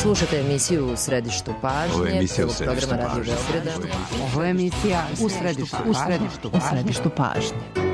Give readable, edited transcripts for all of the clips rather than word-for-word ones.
Slušate emisiju U središtu pažnje, celog programa Radio Beograda. Ovo je emisija U središtu pažnje.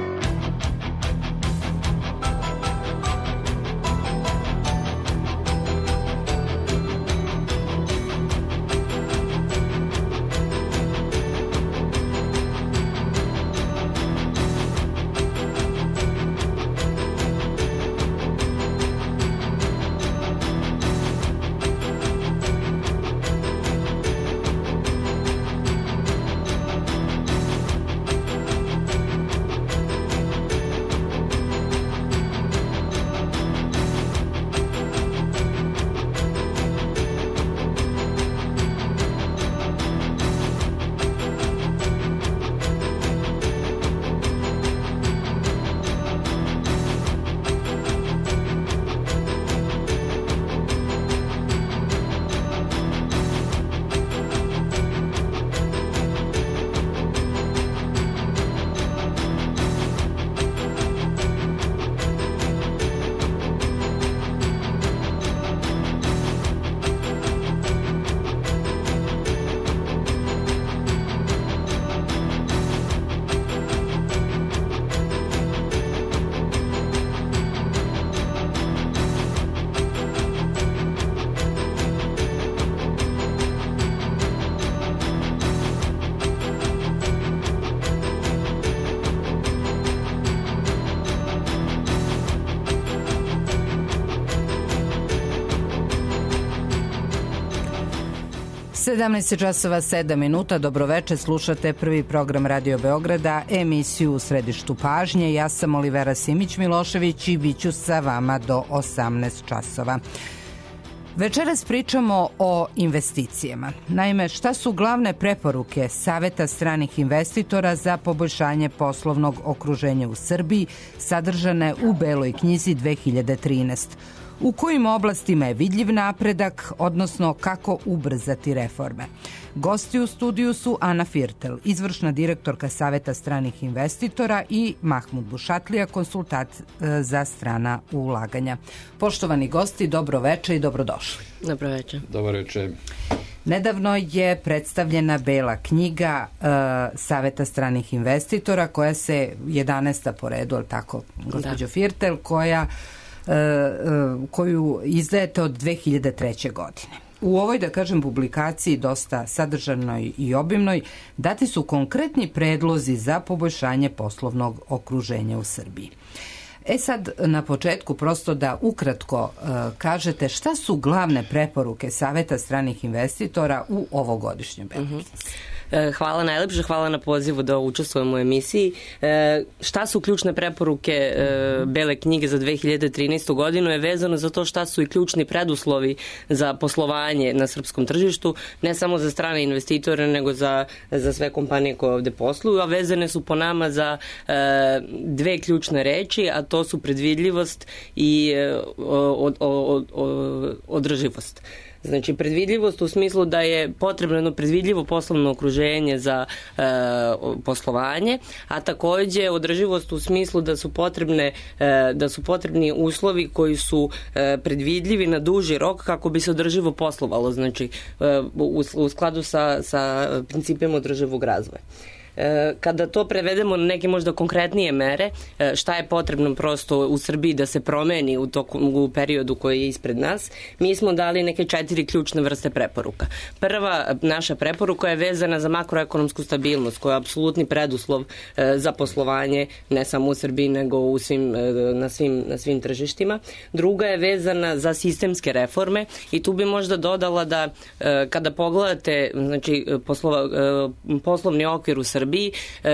časova 7 minuta. Dobroveče, slušate prvi program Radio Beograda, emisiju U središtu pažnje. Ja sam Olivera Simić-Milošević i bit ću sa vama do 18 časova. Večeras pričamo o investicijama. Naime, šta su glavne preporuke Saveta stranih investitora za poboljšanje poslovnog okruženja u Srbiji sadržane u Beloj knjizi 2013? U kojim oblastima je vidljiv napredak, odnosno kako ubrzati reforme? Gosti u studiju su Ana Firtel, izvršna direktorka Saveta stranih investitora, i Mahmud Bušatlija, konsultant za strana ulaganja. Poštovani gosti, dobro veče i dobrodošli. Dobro veče. Dobro veče. Nedavno je predstavljena Bela knjiga Saveta stranih investitora, koja se 11. po redu, ali tako, gospođo Firtel, koju izdajete od 2003. godine. U ovoj, da kažem, publikaciji, dosta sadržanoj i obimnoj, dati su konkretni predlozi za poboljšanje poslovnog okruženja u Srbiji. Sad, na početku, prosto da ukratko kažete šta su glavne preporuke Saveta stranih investitora u ovogodišnjem Beloj knjizi. Hvala najlepše, hvala na pozivu da učestvujemo u emisiji. Šta su ključne preporuke Bele knjige za 2013. godinu je vezano za to šta su i ključni preduslovi za poslovanje na srpskom tržištu, ne samo za strane investitore, nego za sve kompanije koje ovde posluju, a vezane su po nama za dve ključne reči, a to su predvidljivost i održivost. Znači, predvidljivost u smislu da je potrebno jedno predvidljivo poslovno okruženje za poslovanje, a takođe održivost u smislu da su potrebni uslovi koji su predvidljivi na duži rok kako bi se održivo poslovalo, znači u skladu sa principima održivog razvoja. Kada to prevedemo na neke možda konkretnije mere, šta je potrebno prosto u Srbiji da se promeni u periodu koji je ispred nas, mi smo dali neke 4 ključne vrste preporuka. Prva naša preporuka je vezana za makroekonomsku stabilnost, koja je apsolutni preduslov za poslovanje ne samo u Srbiji, nego na svim tržištima. Druga je vezana za sistemske reforme i tu bi možda dodala da kada pogledate, znači, poslovni okvir u Srbiji,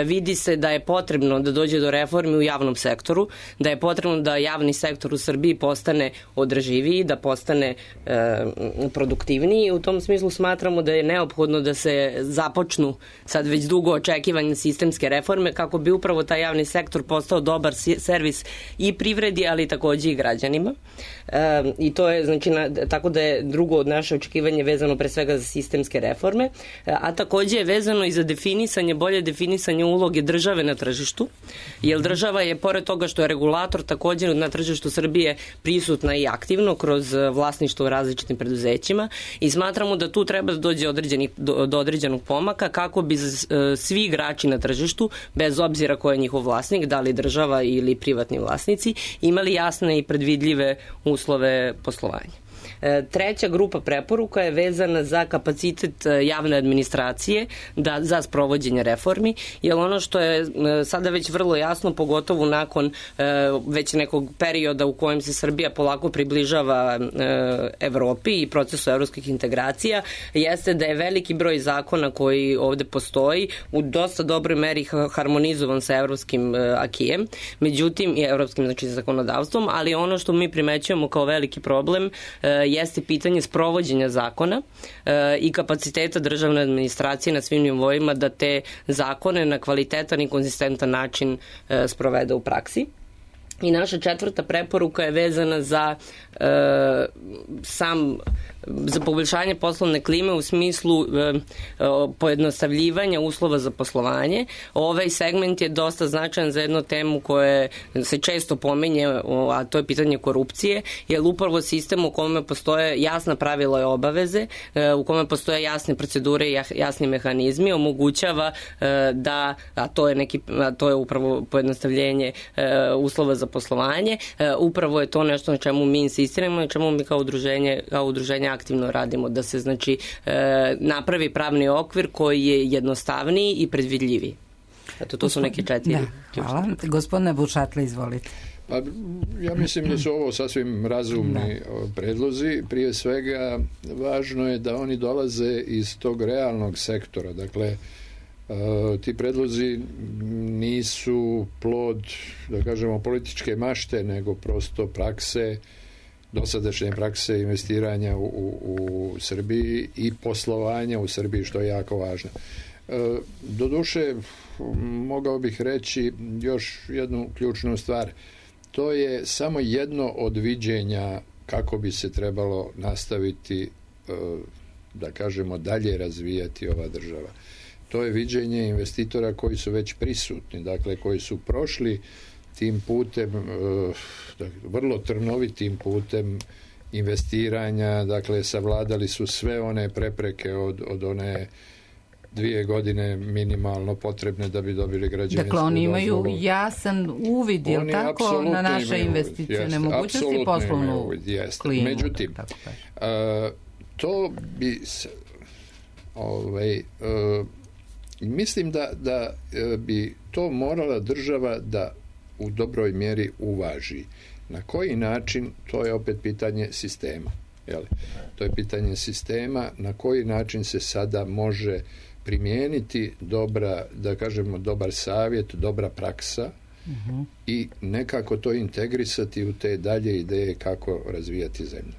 vidi se da je potrebno da dođe do reformi u javnom sektoru, da je potrebno da javni sektor u Srbiji postane održiviji, da postane produktivniji. U tom smislu smatramo da je neophodno da se započnu sad već dugo očekivanje sistemske reforme kako bi upravo taj javni sektor postao dobar servis i privredi, ali takođe i građanima. I to je, znači, tako da je drugo od naše očekivanje vezano pre svega za sistemske reforme, a takođe je vezano i za definisanje bolje definisanje uloge države na tržištu, jer država je, pored toga što je regulator, također na tržištu Srbije prisutna i aktivno kroz vlasništvo u različitim preduzećima i smatramo da tu treba da dođe do određenog pomaka kako bi svi igrači na tržištu, bez obzira ko je njihov vlasnik, da li država ili privatni vlasnici, imali jasne i predvidljive uslove poslovanja. Treća grupa preporuka je vezana za kapacitet javne administracije za sprovođenje reformi, jer ono što je sada već vrlo jasno, pogotovo nakon već nekog perioda u kojem se Srbija polako približava Evropi i procesu evropskih integracija, jeste da je veliki broj zakona koji ovde postoji u dosta dobroj meri harmonizovan sa evropskim akijem, međutim i evropskim zakonodavstvom, ali ono što mi primećujemo kao veliki problem jeste pitanje sprovođenja zakona i kapaciteta državne administracije na svim nivoima da te zakone na kvalitetan i konzistentan način sprovede u praksi. I naša četvrta preporuka je vezana za za poboljšanje poslovne klime u smislu pojednostavljivanja uslova za poslovanje. Ovaj segment je dosta značajan za jednu temu koja se često pominje, a to je pitanje korupcije, jer upravo sistem u kome postoje jasna pravila i obaveze, u kome postoje jasne procedure i jasni mehanizmi, omogućava da, a to je upravo pojednostavljenje uslova za poslovanje, upravo je to nešto na čemu mi insistiramo, na čemu mi kao udruženje aktivno radimo, da se napravi pravni okvir koji je jednostavniji i predvidljiviji. Eto, to su neke četiri. Hvala. Gospodine Bušatle, izvolite. Pa, ja mislim da su ovo sasvim razumni predlozi. Prije svega, važno je da oni dolaze iz tog realnog sektora. Dakle, ti predlozi nisu plod, da kažemo, političke mašte, nego prosto prakse, dosadašnje prakse investiranja u Srbiji i poslovanja u Srbiji, što je jako važno. Doduše, mogao bih reći još jednu ključnu stvar. To je samo jedno od viđenja kako bi se trebalo nastaviti, da kažemo, dalje razvijati ova država. To je viđenje investitora koji su već prisutni, dakle koji su prošli tim putem, vrlo trnovitim putem investiranja, dakle savladali su sve one prepreke od one 2 godine minimalno potrebne da bi dobili građevinsku dozvolu. Dakle, oni imaju jasan uvid, je li tako, na naše investicione mogućnosti i poslovnu klimu. Međutim, to bi mislim da bi to morala država da u dobroj mjeri uvaži. Na koji način, to je opet pitanje sistema. To je pitanje sistema, na koji način se sada može primijeniti dobar savjet, dobra praksa i nekako to integrisati u te dalje ideje kako razvijati zemlju.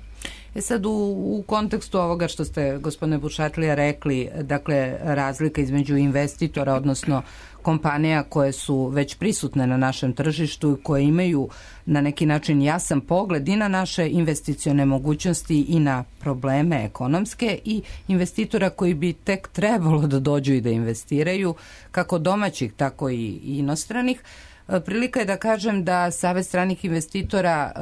Sad u kontekstu ovoga što ste, gospodine Bušatlija, rekli, dakle razlika između investitora, odnosno kompanija koje su već prisutne na našem tržištu i koje imaju na neki način jasan pogled i na naše investicione mogućnosti i na probleme ekonomske, i investitora koji bi tek trebalo da dođu i da investiraju, kako domaćih, tako i inostranih. Prilika je da kažem da Savet stranih investitora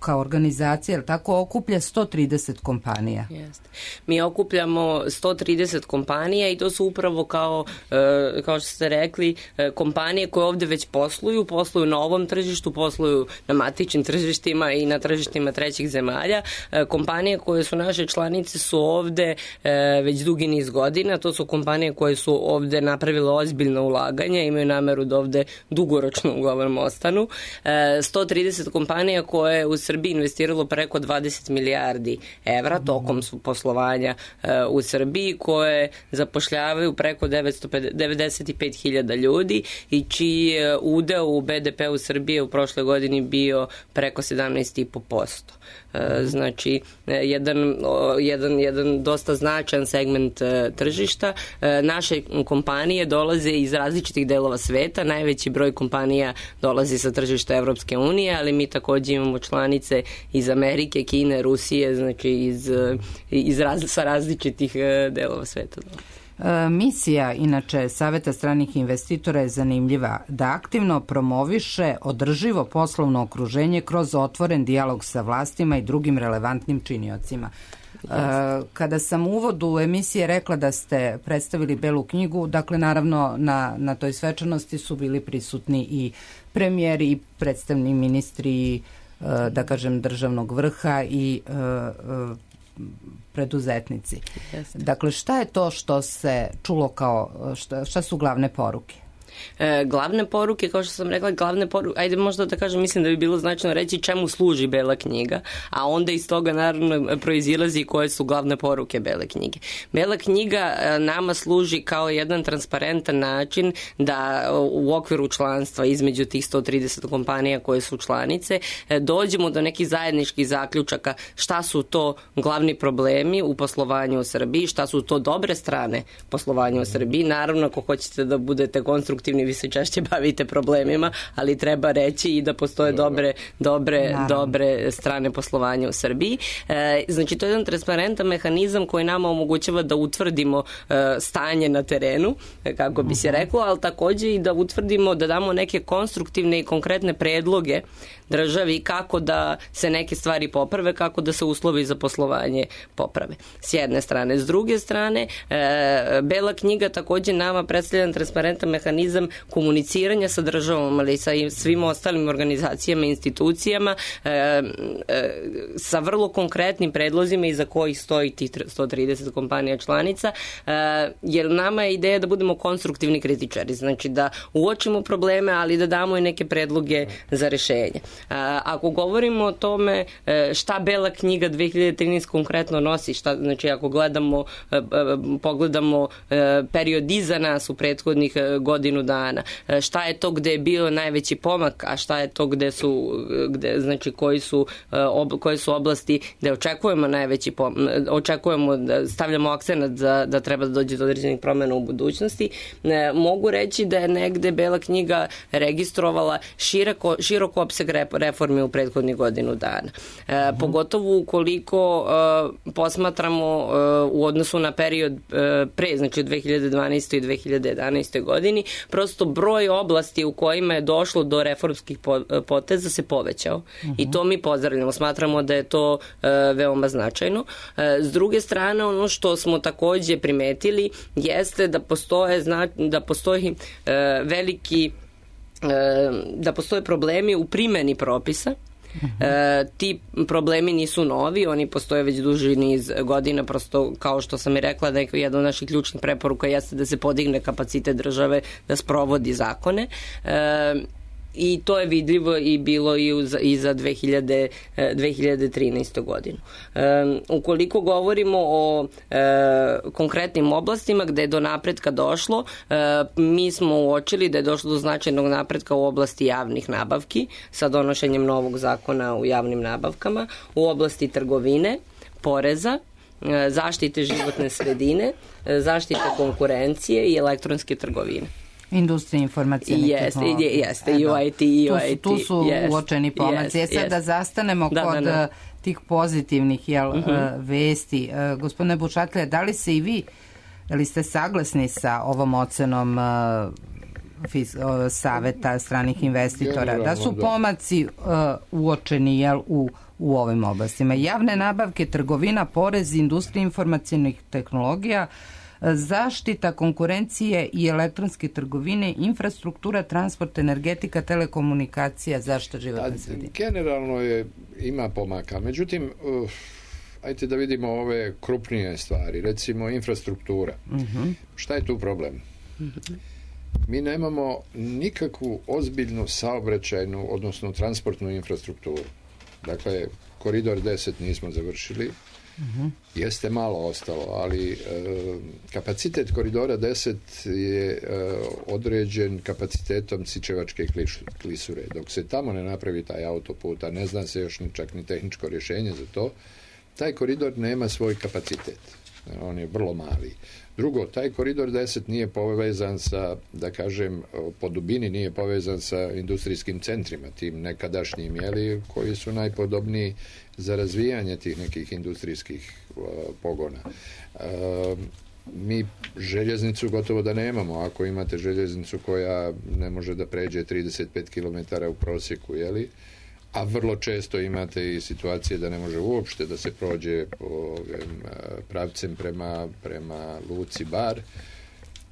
kao organizacija, tako, okuplja 130 kompanija. Jeste. Mi okupljamo 130 kompanija i to su upravo kao što ste rekli, kompanije koje ovde već posluju na ovom tržištu, posluju na matičnim tržištima i na tržištima trećih zemalja. Kompanije koje su naše članice su ovde već dugi niz godina, to su kompanije koje su ovde napravile ozbiljno ulaganje, imaju nameru da ovde dugoročno uglavnom ostanu. 130 kompanija koje je u Srbiji investiralo preko 20 milijardi evra tokom poslovanja u Srbiji, koje zapošljavaju preko 95.000 ljudi i čiji je udeo u BDP u Srbiji u prošle godini bio preko 17,5%. Znači, jedan dosta značajan segment tržišta. Naše kompanije dolaze iz različitih delova sveta, najveći broj kompanija dolazi sa tržišta Evropske unije, ali mi takođe imamo članice iz Amerike, Kine, Rusije, znači sa različitih delova sveta. Misija, inače, Saveta stranih investitora je zanimljiva, da aktivno promoviše održivo poslovno okruženje kroz otvoren dijalog sa vlastima i drugim relevantnim činiocima. Kada sam u uvodu emisije rekla da ste predstavili Belu knjigu, dakle naravno na toj svečanosti su bili prisutni i premijeri i predstavni ministri, da kažem, državnog vrha i preduzetnici. Dakle, šta je to što se čulo kao, šta su glavne poruke? Glavne poruke, kao što sam rekla, ajde možda da kažem, mislim da bi bilo značajno reći čemu služi Bela knjiga, a onda iz toga naravno proizilazi koje su glavne poruke Bele knjige. Bela knjiga nama služi kao jedan transparentan način da u okviru članstva između tih 130 kompanija koje su članice dođemo do nekih zajedničkih zaključaka šta su to glavni problemi u poslovanju u Srbiji, šta su to dobre strane poslovanja u Srbiji. Naravno, ako hoćete da budete konstruktivni, vi se češće bavite problemima, ali treba reći i da postoje dobre strane poslovanja u Srbiji. Znači, to je jedan transparentan mehanizam koji nama omogućava da utvrdimo stanje na terenu, kako bi se reklo, ali takođe i da utvrdimo, da damo neke konstruktivne i konkretne predloge državi kako da se neke stvari poprave, kako da se uslovi za poslovanje poprave. S jedne strane. S druge strane, Bela knjiga takođe nama predstavlja transparentan mehanizam komuniciranja sa državom, ali i sa svim ostalim organizacijama i institucijama, sa vrlo konkretnim predlozima iza kojih stoji tih 130 kompanija članica, jer nama je ideja da budemo konstruktivni kritičari, znači da uočimo probleme, ali da damo i neke predloge za rešenje. Ako govorimo o tome šta Bela knjiga 2013 konkretno nosi, znači ako pogledamo period iza nas u prethodnih godinu dana, šta je to gde je bio najveći pomak, a šta je to znači koje su oblasti gde očekujemo najveći pomak, da stavljamo akcenat da treba da dođe do određenih promena u budućnosti. Mogu reći da je negde Bela knjiga registrovala široko opseg reformi u prethodnih godinu dana. Pogotovo ukoliko posmatramo u odnosu na period pre, znači u 2012. i 2011. godini, prosto broj oblasti u kojima je došlo do reformskih poteza se povećao. I to mi pozdravljamo. Smatramo da je to veoma značajno. S druge strane, ono što smo takođe primetili jeste da postoje problemi u primeni propisa. Ti problemi nisu novi, oni postoje već duži niz godina, prosto kao što sam i rekla da je jedna od naših ključnih preporuka jeste da se podigne kapacitet države da sprovodi zakone. I to je vidljivo i bilo i za 2013. godinu. Ukoliko govorimo o konkretnim oblastima gde je do napretka došlo, mi smo uočili da je došlo do značajnog napretka u oblasti javnih nabavki sa donošenjem novog zakona u javnim nabavkama, u oblasti trgovine, poreza, zaštite životne sredine, zaštite konkurencije i elektronske trgovine. Industrija informacijne tehnologije. Jeste, i u IT, i u IT. Tu su uočeni pomaci. Sad da zastanemo kod tih pozitivnih vesti. Gospodine Bučatlija, da li se i vi, da li ste saglasni sa ovom ocenom Saveta stranih investitora, da su pomaci uočeni u ovim oblastima? Javne nabavke, trgovina, porez, industrija informacijnih tehnologija, zaštita konkurencije i elektronske trgovine, infrastruktura, transport, energetika, telekomunikacija, zaštita životne sredine. Generalno ima pomaka. Međutim, ajte da vidimo ove krupnije stvari. Recimo, infrastruktura. Šta je tu problem? Mi nemamo nikakvu ozbiljnu saobraćajnu, odnosno transportnu infrastrukturu. Dakle, koridor 10 nismo završili. Jeste malo ostalo, ali kapacitet koridora 10 je određen kapacitetom Sičevačke klisure. Dok se tamo ne napravi taj autoput, a ne zna se još čak ni tehničko rješenje za to, taj koridor nema svoj kapacitet. On je vrlo mali. Drugo, taj koridor 10 nije povezan sa, da kažem, po dubini nije povezan sa industrijskim centrima, tim nekadašnjim, koji su najpodobniji za razvijanje tih nekih industrijskih pogona. mi željeznicu gotovo da nemamo. Ako imate željeznicu koja ne može da pređe 35 km u prosjeku, jeli? A vrlo često imate i situacije da ne može uopšte da se prođe po pravcem prema luci Bar.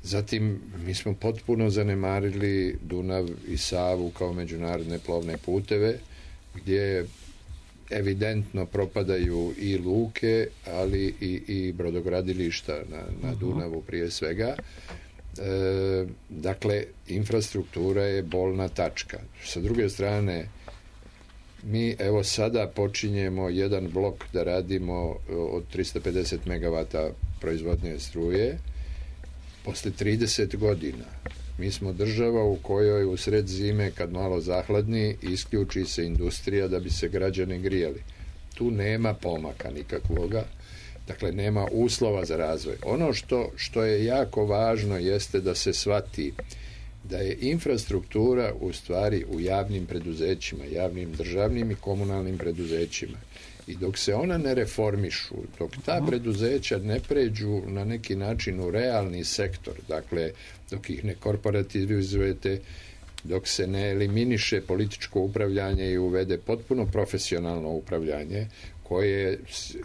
Zatim, mi smo potpuno zanemarili Dunav i Savu kao međunarodne plovne puteve, gdje evidentno propadaju i luke, ali i brodogradilišta na Dunavu prije svega. Dakle, infrastruktura je bolna tačka. Sa druge strane, mi evo sada počinjemo jedan blok da radimo od 350 MW proizvodnje struje. Posle 30 godina mi smo država u kojoj u sred zime, kad malo zahladni, isključi se industrija da bi se građani grijali. Tu nema pomaka nikakvoga, dakle nema uslova za razvoj. Ono što je jako važno jeste da se shvati da je infrastruktura u stvari u javnim preduzećima, javnim državnim i komunalnim preduzećima. I dok se ona ne reformišu, dok ta preduzeća ne pređu na neki način u realni sektor, dakle, dok ih ne korporativizujete, dok se ne eliminiše političko upravljanje i uvede potpuno profesionalno upravljanje, koje,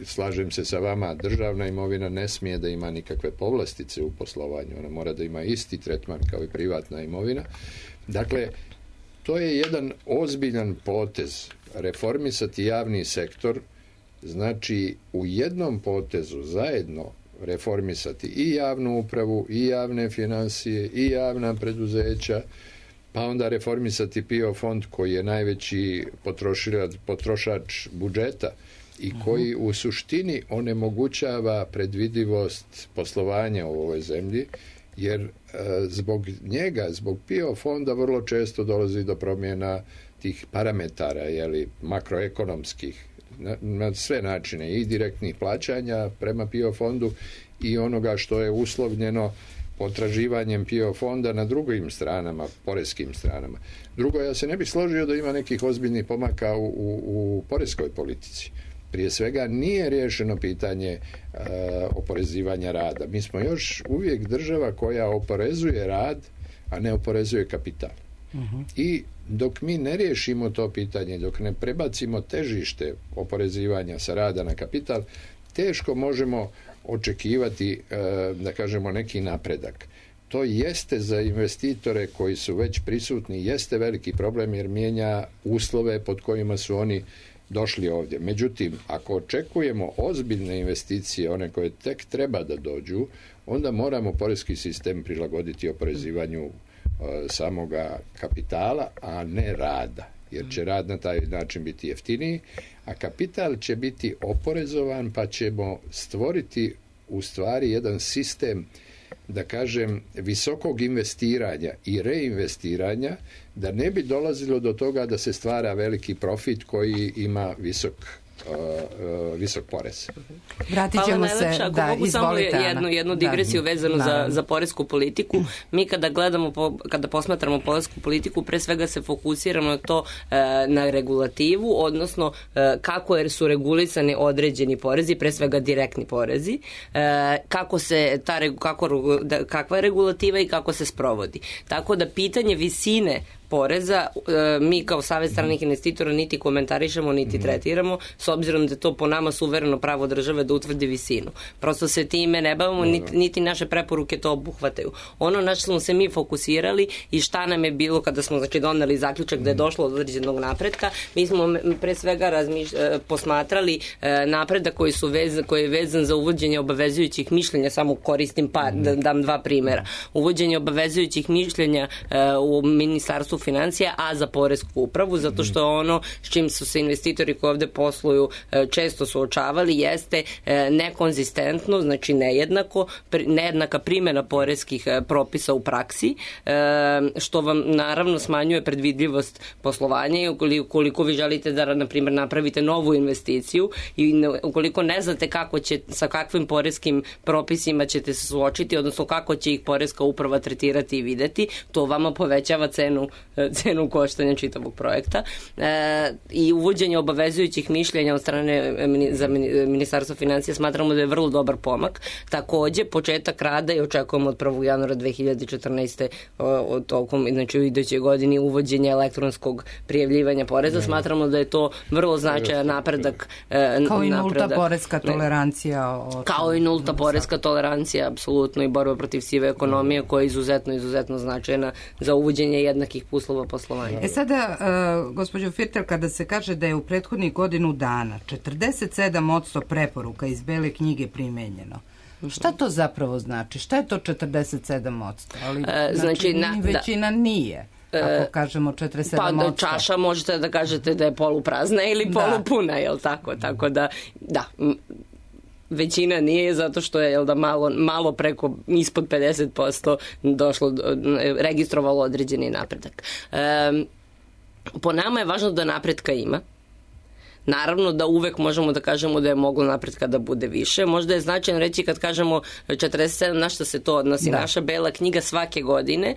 slažem se sa vama, državna imovina ne smije da ima nikakve povlastice u poslovanju, ona mora da ima isti tretman kao i privatna imovina. Dakle, to je jedan ozbiljan potez. Reformisati javni sektor znači u jednom potezu zajedno reformisati i javnu upravu, i javne financije, i javna preduzeća, pa onda reformisati PIO fond koji je najveći potrošač budžeta i koji u suštini onemogućava predvidivost poslovanja u ovoj zemlji, jer zbog njega, zbog PIO fonda vrlo često dolazi do promjena tih parametara, jeli, makroekonomskih, na sve načine, i direktnih plaćanja prema PIO fondu i onoga što je uslovljeno potraživanjem PIO fonda na drugim stranama, poreskim stranama. Drugo, ja se ne bih složio da ima nekih ozbiljnih pomaka u poreskoj politici. Prije svega nije riješeno pitanje oporezivanja rada. Mi smo još uvijek država koja oporezuje rad, a ne oporezuje kapital. I dok mi ne riješimo to pitanje, dok ne prebacimo težište oporezivanja sa rada na kapital, teško možemo očekivati, da kažemo, neki napredak. To jeste za investitore koji su već prisutni, jeste veliki problem jer mijenja uslove pod kojima su oni došli ovdje. Međutim, ako očekujemo ozbiljne investicije, one koje tek treba da dođu, onda moramo poreski sistem prilagoditi oporezivanju samoga kapitala, a ne rada. Jer će rad na taj način biti jeftiniji, a kapital će biti oporezovan, pa ćemo stvoriti u stvari jedan sistem, da kažem, visokog investiranja i reinvestiranja, da ne bi dolazilo do toga da se stvara veliki profit koji ima visok porez. Vratit ćemo se, da, izvolite, samo jednu digresiju vezanu za poresku politiku. Mi kada posmatramo poresku politiku, pre svega se fokusiramo na to, na regulativu, odnosno kako su regulisani određeni porezi, pre svega direktni porezi, kakva je regulativa i kako se sprovodi. Tako da pitanje visine poreza, mi kao Savez stranih investitora niti komentarišemo, niti tretiramo, s obzirom da to po nama suvereno pravo države da utvrdi visinu. Prosto se time ne bavimo, niti naše preporuke to obuhvataju. Ono na što smo se mi fokusirali i šta nam je bilo kada smo doneli zaključak da je došlo od određenog napretka, mi smo pre svega posmatrali napredak koji je vezan za uvođenje obavezujućih mišljenja, samo koristim da dam dva primjera. Uvođenje obavezujućih mišljenja u Ministarstvu financija, a za poresku upravu, zato što ono s čim su se investitori koji ovde posluju često suočavali jeste nekonzistentno, znači nejednaka primjena poreskih propisa u praksi, što vam naravno smanjuje predvidljivost poslovanja i ukoliko vi želite da, na primjer, napravite novu investiciju i ukoliko ne znate sa kakvim poreskim propisima ćete se suočiti, odnosno kako će ih poreska uprava tretirati i videti, to vama povećava cenu cenu koštanja čitavog projekta i uvođenje obavezujućih mišljenja od strane za Ministarstvo financija smatramo da je vrlo dobar pomak. Takođe, početak rada i očekujemo od 1. januara 2014. od tokom, znači u idućoj godini uvođenje elektronskog prijavljivanja poreza. Smatramo da je to vrlo značajan napredak. Kao i nulta poreska tolerancija. Kao i nulta poreska tolerancija, apsolutno, i borba protiv sive ekonomije koja je izuzetno značajna za uvođenje jednakih uslova poslovanja. Sada, gospođo Firtel, kada se kaže da je u prethodnih godinu dana 47% preporuka iz Bele knjige primenjeno, šta to zapravo znači? Šta je to 47%? Ali, znači većina nije. Ako kažemo 47%. Pa čaša možete da kažete da je poluprazna ili polupuna, jel tako? Tako da, većina nije, zato što je malo preko ispod 50% registrovalo određeni napredak. Po nama je važno da napretka ima. Naravno da uvek možemo da kažemo da je moglo napretka da bude više. Možda je značajno reći kad kažemo 47, na što se to odnosi. Naša Bela knjiga svake godine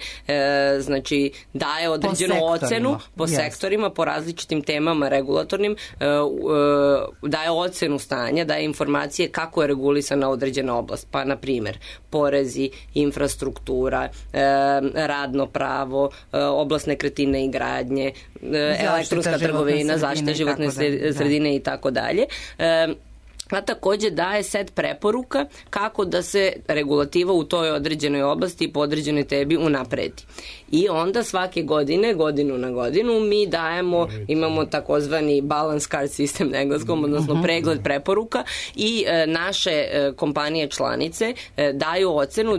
znači daje određenu ocenu po sektorima, po različitim temama regulatornim, daje ocenu stanja, daje informacije kako je regulisana određena oblast. Pa, na primer, porezi, infrastruktura, radno pravo, oblast nekretnine i gradnje, elektronska trgovina, zaštita životne sredine i tako dalje. A takođe daje set preporuka kako da se regulativa u toj određenoj oblasti i po određenoj tebi unapredi. I onda svake godine, godinu na godinu, mi dajemo, imamo takozvani balance card sistem na engleskom, odnosno pregled preporuka, i naše kompanije članice daju ocenu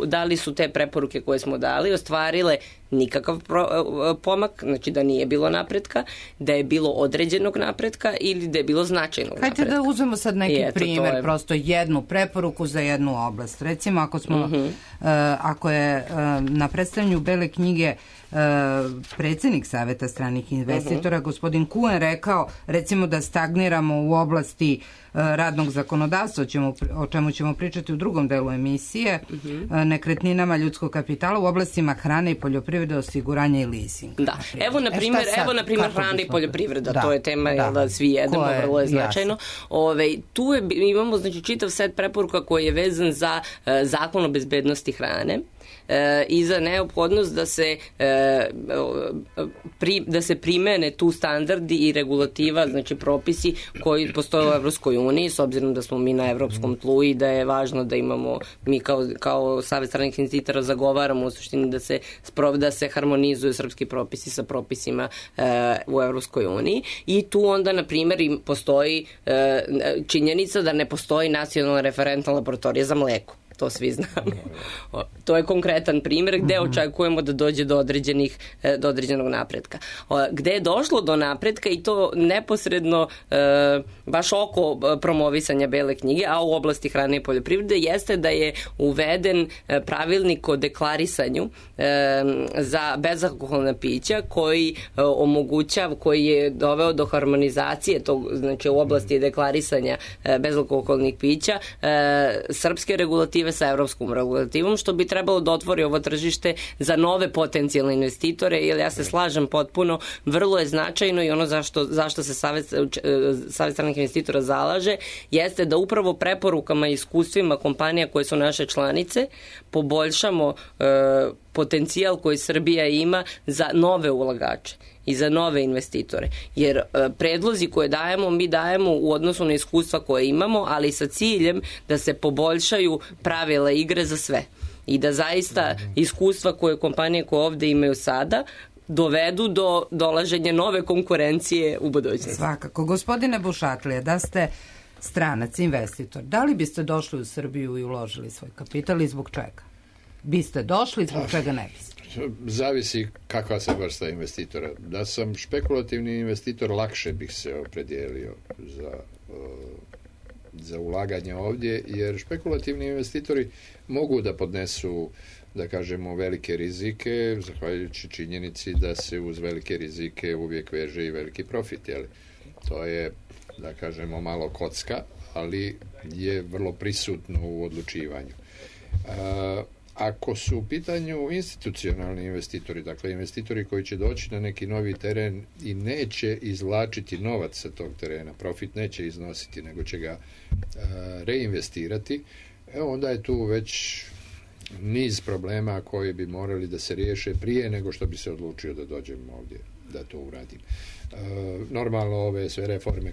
da li su te preporuke koje smo dali ostvarile nikakav pomak, znači da nije bilo napretka, da je bilo određenog napretka ili da je bilo značajnog napretka. Hajde da uzmemo sad neki primjer, prosto jednu preporuku za jednu oblast. Recimo, ako je na predstavljanju Bele knjige predsednik Saveta stranih investitora, gospodin Kuen, rekao, recimo, da stagniramo u oblasti radnog zakonodavstva, o čemu ćemo pričati u drugom delu emisije, nekretninama, ljudskog kapitala, u oblastima hrane i poljoprivrede, osiguranja i leasinga. Da, evo na primjer hrana i poljoprivreda, to je tema da svi jedemo, vrlo je značajno. Tu imamo, znači, čitav set preporuka koji je vezan za zakon o bezbednosti hrane i za neophodnost da se primene tu standardi i regulativa, znači propisi koji postoje u Evropskoj uniji, s obzirom da smo mi na evropskom tlu i da je važno da imamo, mi kao Savet stranih investitora zagovaramo u suštini da se harmonizuju srpski propisi sa propisima u Evropskoj uniji, i tu onda, na primjer, postoji činjenica da ne postoji nacionalna referentna laboratorija za mleko. To svi znamo. To je konkretan primjer gde očekujemo da dođe do određenog napretka. Gde je došlo do napretka, i to neposredno baš oko promovisanja Bele knjige, a u oblasti hrane i poljoprivrede, jeste da je uveden pravilnik o deklarisanju za bezalkoholna pića koji je doveo do harmonizacije znači u oblasti deklarisanja bezalkoholnih pića srpske regulative sa evropskom regulativom, što bi trebalo da otvori ovo tržište za nove potencijalne investitore, jer ja se slažem potpuno, vrlo je značajno, i ono zašto se Savet stranih investitora zalaže, jeste da upravo preporukama i iskustvima kompanija koje su naše članice poboljšamo potencijal koji Srbija ima za nove ulagače i za nove investitore. Jer predlozi koje dajemo, mi dajemo u odnosu na iskustva koje imamo, ali sa ciljem da se poboljšaju pravila igre za sve. I da zaista iskustva koje kompanije koje ovde imaju sada dovedu do dolaženja nove konkurencije u budućnosti. Svakako. Gospodine Bušatlije, da ste stranac, investitor, da li biste došli u Srbiju i uložili svoj kapital i zbog čega? Biste došli, zbog čega ne biste? Zavisi kakva se vrsta investitora. Da sam špekulativni investitor, lakše bih se opredijelio za ulaganje ovdje, jer špekulativni investitori mogu da podnesu, da kažemo, velike rizike, zahvaljujući činjenici da se uz velike rizike uvijek veže i veliki profit. Jel? To je, da kažemo, malo kocka, ali je vrlo prisutno u odlučivanju. Ako su u pitanju institucionalni investitori, dakle investitori koji će doći na neki novi teren i neće izvlačiti novac sa tog terena, profit neće iznositi, nego će ga reinvestirati, onda je tu već niz problema koji bi morali da se riješe prije nego što bi se odlučio da dođem ovdje da to uradim. Normalno ove sve reforme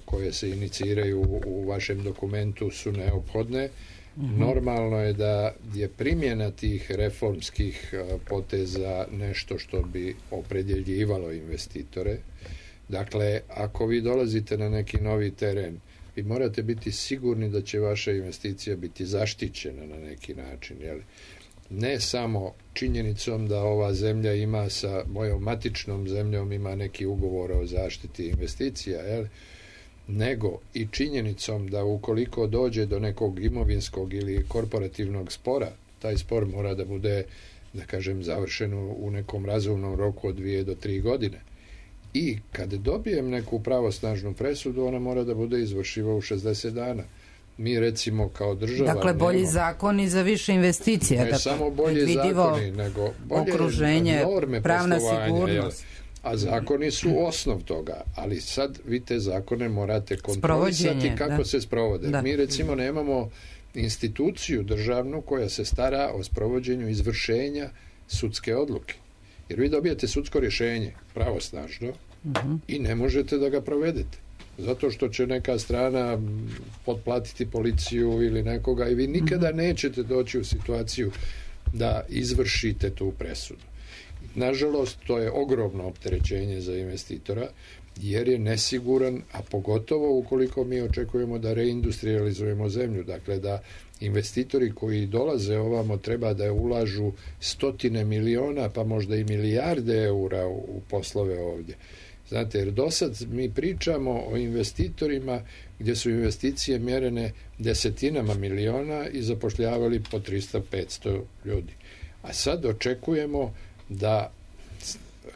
koje se iniciraju u vašem dokumentu su neophodne. Normalno je da je primjena tih reformskih poteza nešto što bi opredjeljivalo investitore. Dakle, ako vi dolazite na neki novi teren, vi morate biti sigurni da će vaša investicija biti zaštićena na neki način. Jel? Ne samo činjenicom da ova zemlja ima sa mojom matičnom zemljom ima neki ugovor o zaštiti investicija, jel? Nego i činjenicom da ukoliko dođe do nekog imovinskog ili korporativnog spora, taj spor mora da bude, da kažem, završen u nekom razumnom roku od 2 do 3 godine. I kad dobijem neku pravosnažnu presudu, ona mora da bude izvršiva u 60 dana. Mi recimo kao država... Dakle, bolji zakoni za više investicija. Ne samo bolji zakoni, nego bolje okruženje, norme pravna sigurnost. A zakoni su osnov toga, ali sad vi te zakone morate kontrolisati kako se sprovode. Da. Mi recimo nemamo instituciju državnu koja se stara o sprovođenju izvršenja sudske odluke. Jer vi dobijete sudsko rješenje pravosnažno i ne možete da ga provedete. Zato što će neka strana potplatiti policiju ili nekoga i vi nikada nećete doći u situaciju da izvršite tu presudu. Nažalost, to je ogromno opterećenje za investitora jer je nesiguran, a pogotovo ukoliko mi očekujemo da reindustrializujemo zemlju, dakle da investitori koji dolaze ovamo treba da ulažu 100 miliona pa možda i milijarde eura u poslove ovdje. Znate, jer do sad mi pričamo o investitorima gdje su investicije mjerene desetinama miliona i zapošljavali po 300-500 ljudi. A sad očekujemo da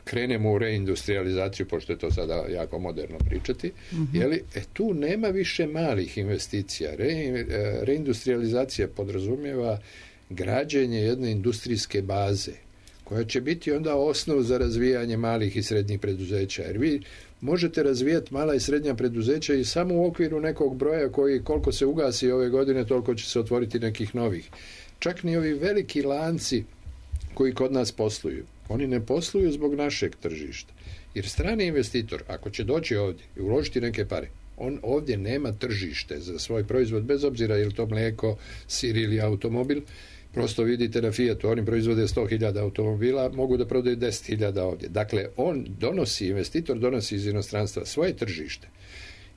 krenemo u reindustrializaciju, pošto je to sada jako moderno pričati, jeli, tu nema više malih investicija. Reindustrializacija podrazumijeva građenje jedne industrijske baze, koja će biti onda osnov za razvijanje malih i srednjih preduzeća. Jer vi možete razvijati mala i srednja preduzeća i samo u okviru nekog broja koji koliko se ugasi ove godine, toliko će se otvoriti nekih novih. Čak ni ovi veliki lanci koji kod nas posluju. Oni ne posluju zbog našeg tržišta. Jer strani investitor, ako će doći ovdje i uložiti neke pare, on ovdje nema tržište za svoj proizvod, bez obzira je li to mlijeko, sir ili automobil. Prosto vidite na Fiatu, oni proizvode 100.000 automobila, mogu da prodaju 10.000 ovdje. Dakle, investitor donosi iz inostranstva svoje tržište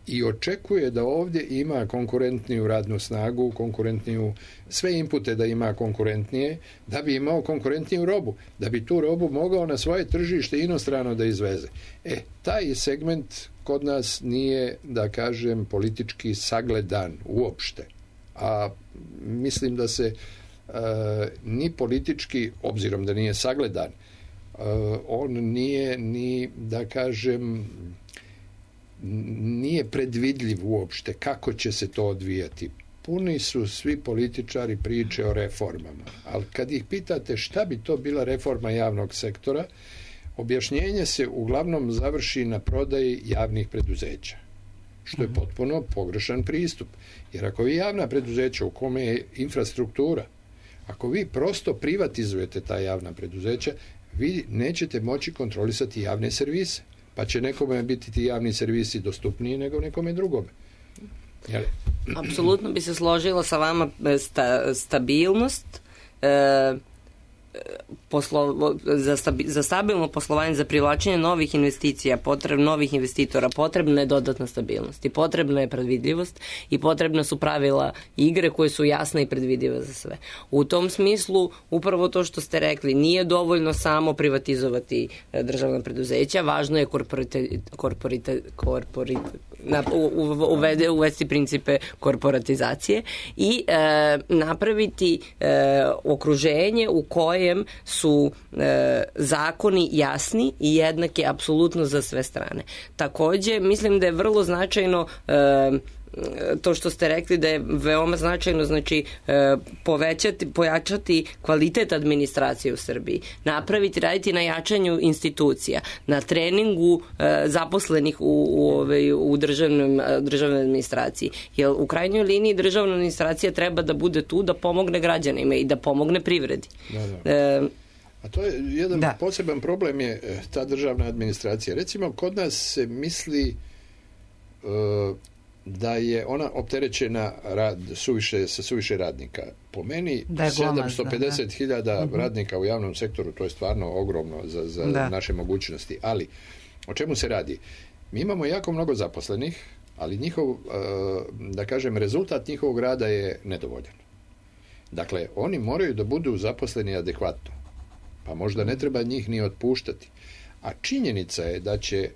i očekuje da ovdje ima konkurentniju radnu snagu, konkurentniju, sve inpute da ima konkurentnije, da bi imao konkurentniju robu, da bi tu robu mogao na svoje tržište inostrano da izveze. Taj segment kod nas nije, da kažem, politički sagledan uopšte. A mislim da se ni politički, obzirom da nije sagledan, on nije ni, da kažem, nije predvidljiv uopšte kako će se to odvijati. Puni su svi političari priče o reformama, ali kad ih pitate šta bi to bila reforma javnog sektora, objašnjenje se uglavnom završi na prodaji javnih preduzeća, što je potpuno pogrešan pristup. Jer ako vi javna preduzeća u kome je infrastruktura, ako vi prosto privatizujete ta javna preduzeća, vi nećete moći kontrolisati javne servise. Pa će nekome biti ti javni servisi dostupniji nego nekome drugome. Jel? Apsolutno bi se složila sa vama stabilnost, za stabilno poslovanje, za privlačenje novih investicija, novih investitora, potrebna je dodatna stabilnost i potrebna je predvidljivost i potrebna su pravila igre koje su jasne i predvidive za sve. U tom smislu, upravo to što ste rekli, nije dovoljno samo privatizovati državna preduzeća, važno je uvesti principe korporatizacije i napraviti okruženje u kojem su zakoni jasni i jednaki apsolutno za sve strane. Takođe, mislim da je vrlo značajno to što ste rekli da je veoma značajno, znači pojačati kvalitet administracije u Srbiji, raditi na jačanju institucija, na treningu zaposlenih u državnoj administraciji. Jer u krajnjoj liniji državna administracija treba da bude tu da pomogne građanima i da pomogne privredi. A to je jedan poseban problem je ta državna administracija. Recimo, kod nas se misli da je ona opterećena sa suviše radnika. Po meni 750.000 radnika u javnom sektoru, to je stvarno ogromno za naše mogućnosti. Ali, o čemu se radi? Mi imamo jako mnogo zaposlenih, ali njihov, da kažem, rezultat njihovog rada je nedovoljan. Dakle, oni moraju da budu zaposleni adekvatno. Pa možda ne treba njih ni otpuštati. A činjenica je da će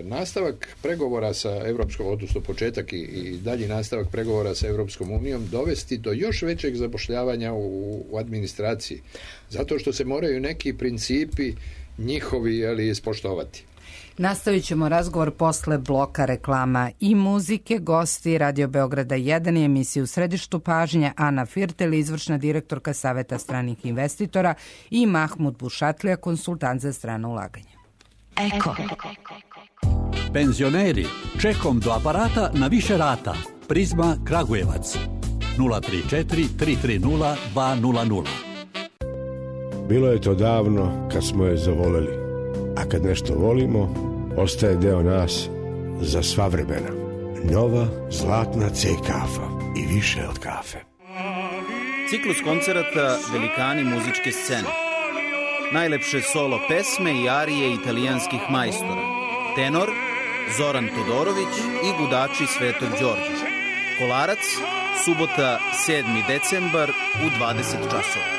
nastavak pregovora sa Evropskom, odnosno početak i dalji nastavak pregovora sa Evropskom unijom dovesti do još većeg zapošljavanja u administraciji. Zato što se moraju neki principi njihovi ispoštovati. Nastavit ćemo razgovor posle bloka reklama i muzike. Gosti Radio Beograda 1 i emisiju U središtu pažnje Ana Firtel, izvršna direktorka Saveta stranih investitora, i Mahmud Bušatlija, konsultant za strano ulaganje. Eko. Penzioneri, čekom do aparata na više rata. Prizma Kragujevac 034 330 200. Bilo je to davno kad smo je zavoleli, a kad nešto volimo, ostaje deo nas za sva vremena. Nova zlatna C kafa i više od kafe. Ciklus koncerata Velikani muzičke scene. Najlepše solo pesme i arije italijanskih majstora. Tenor Zoran Todorović i gudači Svetog Đorđa. Kolarac, subota 7. decembar u 20 časova.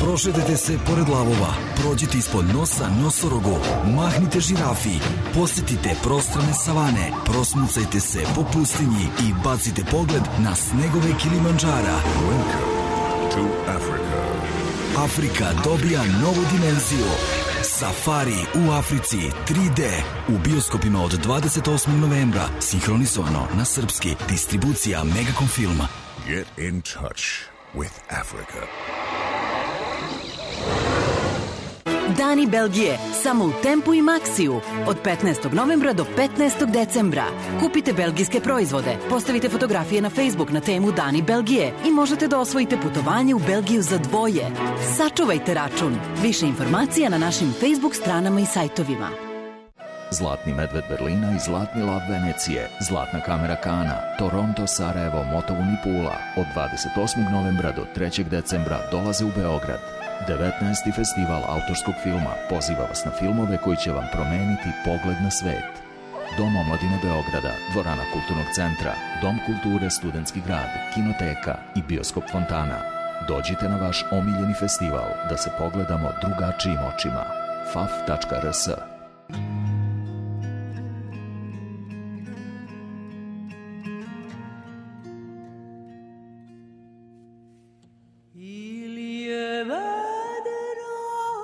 Prošetajte se pored lavova, prođite ispod nosa nosorogu, mahnite žirafi, posjetite prostrane savane, prosmucajte se po pustinji i bacite pogled na snegove Kilimandžara. Welcome to Africa. Afrika dobija novu dimenziju. Safari u Africi 3D u bioskopima od 28. novembra, sinhronizovano na srpski, distribucija Megacom filma. Get in touch with Africa. Dani Belgije, samo u Tempu i Maxiju. Od 15. novembra do 15. decembra. Kupite belgijske proizvode, postavite fotografije na Facebook na temu Dani Belgije i možete da osvojite putovanje u Belgiju za dvoje. Sačuvajte račun. Više informacija na našim Facebook stranama i sajtovima. Zlatni medved Berlina i Zlatni lav Venecije, Zlatna kamera Kana, Toronto, Sarajevo, Motovun i Pula od 28. novembra do 3. decembra dolaze u Beograd. 19. festival autorskog filma poziva vas na filmove koji će vam promeniti pogled na svet. Dom omladine Beograda, Dvorana kulturnog centra, Dom kulture Studentski grad, Kinoteka i Bioskop Fontana. Dođite na vaš omiljeni festival da se pogledamo drugačijim očima. faf.rs.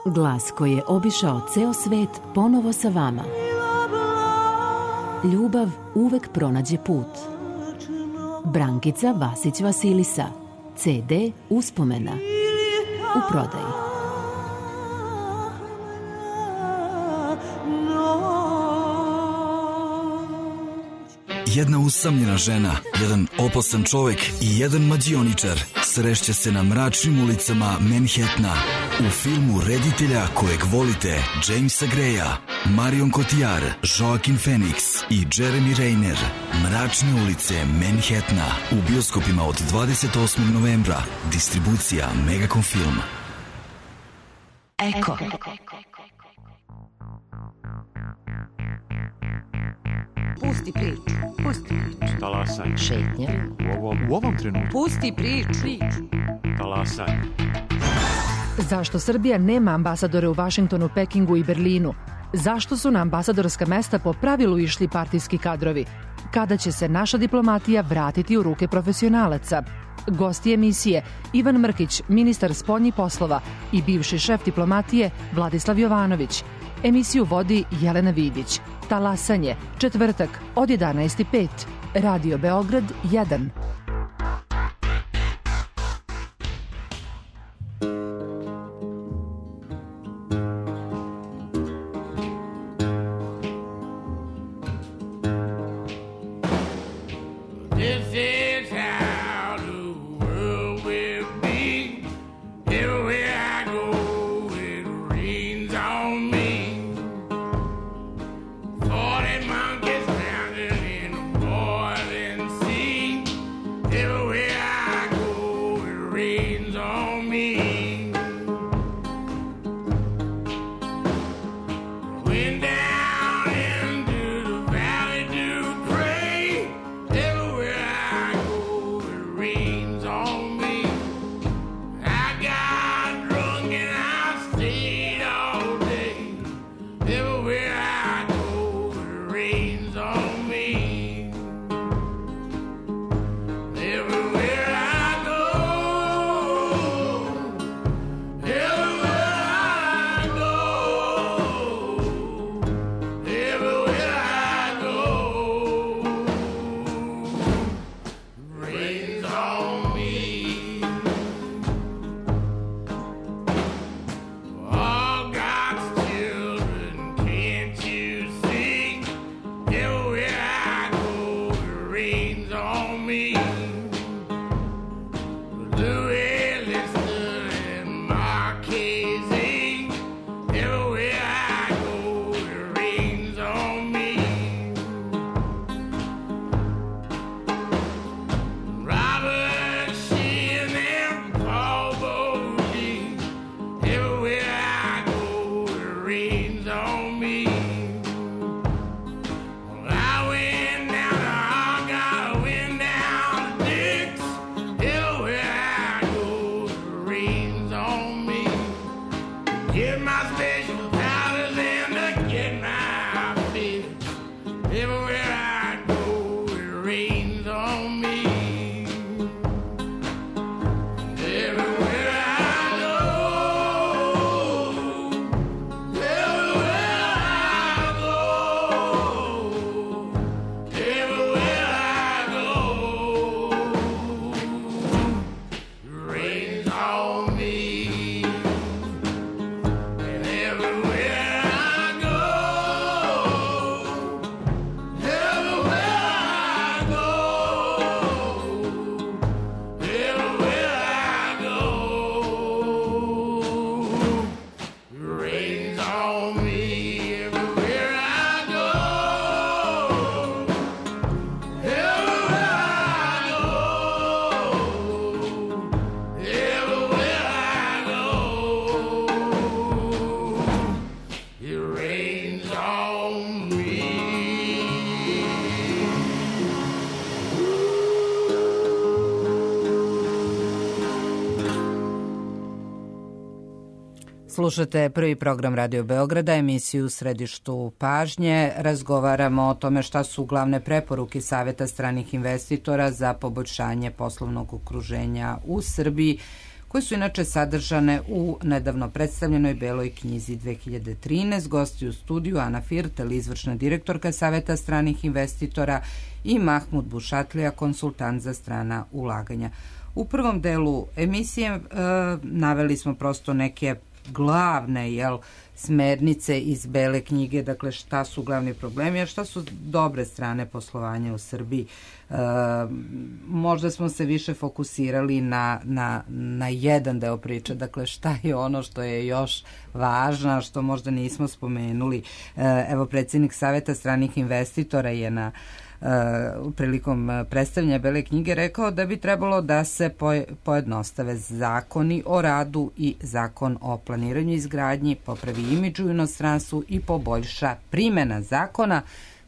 Glas koji je obišao ceo svet ponovo sa vama. Ljubav uvek pronađe put. Brankica Vasić Vasilisa. CD Uspomena. U prodaji. Jedna usamljena žena, jedan opasan čovek i jedan mađioničar srešće se na mračnim ulicama Manhattana. U filmu reditelja kojeg volite, Jamesa Greya, Marion Cotillard, Joaquin Phoenix i Jeremy Renner. Mračne ulice Manhattana u bioskopima od 28. novembra. Distribucija Megacom film. Eko. Pusti priču. Pusti priču. Talasaj. Šetnja. U ovom trenutku. Pusti priču. Talasaj. Zašto Srbija nema ambasadore u Vašingtonu, Pekingu i Berlinu? Zašto su na ambasadorska mesta po pravilu išli partijski kadrovi? Kada će se naša diplomatija vratiti u ruke profesionalaca? Gosti emisije Ivan Mrkić, ministar spoljnih poslova, i bivši šef diplomatije Vladislav Jovanović. Emisiju vodi Jelena Vidić. Talasanje, četvrtak od 11:05. Radio Beograd 1. Slušate prvi program Radio Beograda, emisiju u središtu pažnje. Razgovaramo o tome šta su glavne preporuke Saveta stranih investitora za poboljšanje poslovnog okruženja u Srbiji, koje su inače sadržane u nedavno predstavljenoj Beloj knjizi 2013. Gosti u studiju Ana Firtel, izvršna direktorka Saveta stranih investitora, i Mahmud Bušatlija, konsultant za strana ulaganja. U prvom delu emisije naveli smo prosto neke glavne smernice iz Bele knjige, dakle šta su glavni problemi, a šta su dobre strane poslovanja u Srbiji. Možda smo se više fokusirali na jedan deo priče, dakle šta je ono što je još važno, što možda nismo spomenuli. Evo, predsjednik Saveta stranih investitora je prilikom predstavljanja Bele knjige rekao da bi trebalo da se pojednostave zakoni o radu i zakon o planiranju i izgradnji, popravi imidž u inostranstvu i poboljša primjena zakona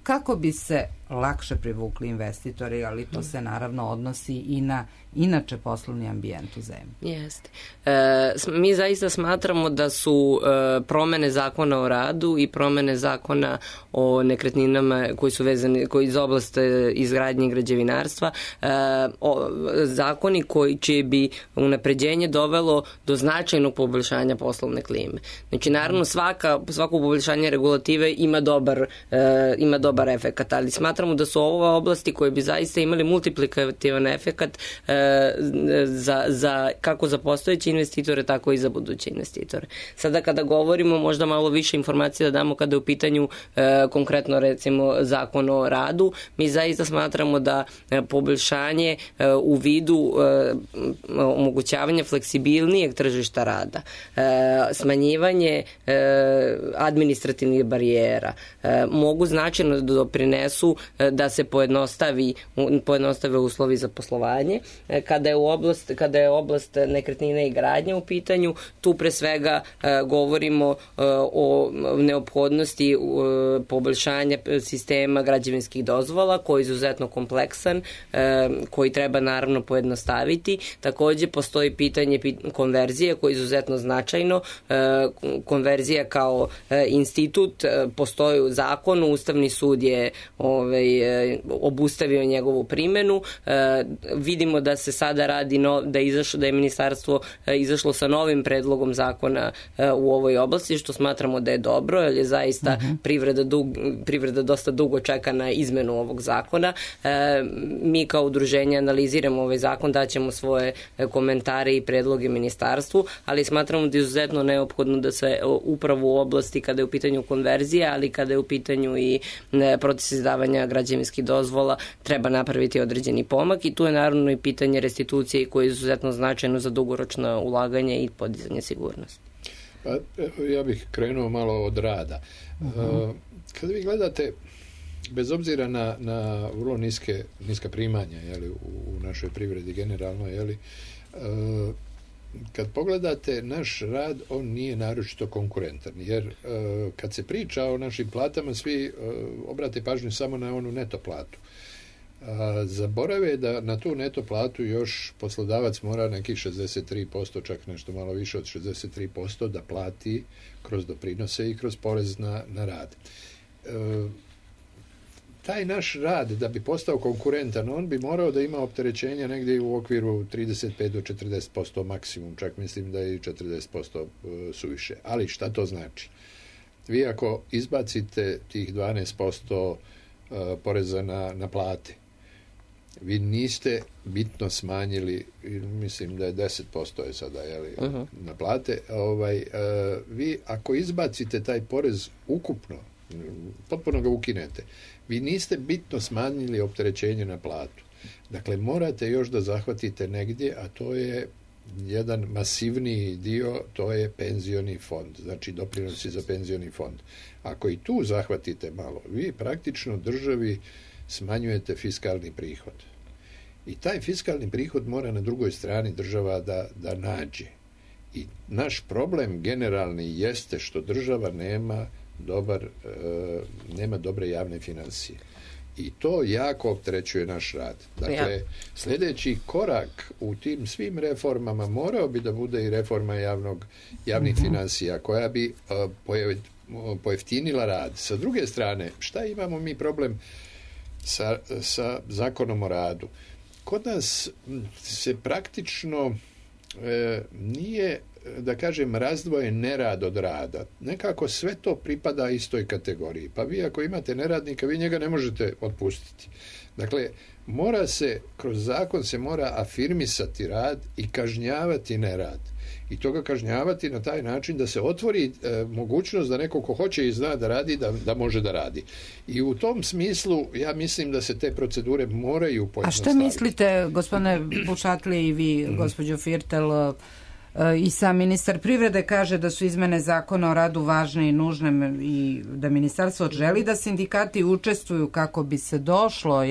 kako bi se lakše privukli investitori, ali to se naravno odnosi i na inače poslovni ambijent u zemlji. Jeste. Mi zaista smatramo da su promene zakona o radu i promene zakona o nekretninama koji su vezani, koji iz oblasti izgradnje i građevinarstva, zakoni koji će bi unapređenje dovelo do značajnog poboljšanja poslovne klime. Znači, naravno, svako poboljšanje regulative ima dobar efekat, ali smatramo da su ove oblasti koje bi zaista imali multiplikativan efekat kako za postojeće investitore, tako i za buduće investitore. Sada kada govorimo, možda malo više informacija da damo kada je u pitanju konkretno recimo zakon o radu, mi zaista smatramo da poboljšanje u vidu omogućavanja fleksibilnijeg tržišta rada, smanjivanje administrativnih barijera mogu značajno da doprinesu da se pojednostave uslovi za poslovanje. Kada je oblast nekretnina i gradnje u pitanju, tu pre svega govorimo o neophodnosti poboljšanja sistema građevinskih dozvola, koji je izuzetno kompleksan, koji treba naravno pojednostaviti. Takođe postoji pitanje konverzije, koje je izuzetno značajno. Konverzija kao institut postoji u zakonu, Ustavni sud je obustavio njegovu primenu. Vidimo da se sada radi, da je ministarstvo izašlo novim predlogom zakona u ovoj oblasti, što smatramo da je dobro, jer je zaista privreda dosta dugo čeka na izmenu ovog zakona. Mi kao udruženje analiziramo ovaj zakon, daćemo svoje komentare i predloge ministarstvu, ali smatramo da je izuzetno neophodno da se upravo u oblasti kada je u pitanju konverzija, ali kada je u pitanju i proces izdavanja građevinskih dozvola, treba napraviti određeni pomak i tu je naravno i pitanje restitucije koje je izuzetno značajno za dugoročno ulaganje i podizanje sigurnosti. Ja bih krenuo malo od rada. Kada vi gledate, bez obzira na vrlo niska primanja u našoj privredi generalno, kad pogledate naš rad, on nije naročito konkurentan, jer kad se priča o našim platama, svi obrate pažnju samo na onu neto platu. Zaborave da na tu neto platu još poslodavac mora nekih 63%, čak nešto malo više od 63% da plati kroz doprinose i kroz porez na rad. Taj naš rad, da bi postao konkurentan, on bi morao da ima opterećenja negdje u okviru 35 do 40% maksimum, čak mislim da je i 40% suviše. Ali šta to znači? Vi ako izbacite tih 12% poreza na plate, vi niste bitno smanjili, mislim da je 10% je sada na plate, vi ako izbacite taj porez ukupno, potpuno ga ukinete, vi niste bitno smanjili opterećenje na platu. Dakle, morate još da zahvatite negdje, a to je jedan masivniji dio, to je penzioni fond, znači doprinosi za penzioni fond. Ako i tu zahvatite malo, vi praktično državi smanjujete fiskalni prihod. I taj fiskalni prihod mora na drugoj strani država da nađe. I naš problem generalni jeste što država nema dobre javne financije. I to jako opterećuje naš rad. Dakle, sljedeći korak u tim svim reformama morao bi da bude i reforma javnih financija, koja bi pojeftinila rad. Sa druge strane, šta imamo mi problem sa zakonom o radu? Kod nas se praktično nije, da kažem, razdvojen nerad od rada. Nekako sve to pripada istoj kategoriji. Pa vi ako imate neradnika, vi njega ne možete otpustiti. Dakle, kroz zakon se mora afirmisati rad i kažnjavati nerad. I to ga kažnjavati na taj način da se otvori mogućnost da neko ko hoće i zna da radi, da može da radi. I u tom smislu ja mislim da se te procedure moraju pojednostaviti. A šta mislite, gospodine Bušatli i vi, gospođo Firtel, I sam ministar privrede kaže da su izmene zakona o radu važne i nužne i da ministarstvo želi da sindikati učestvuju kako bi se došlo,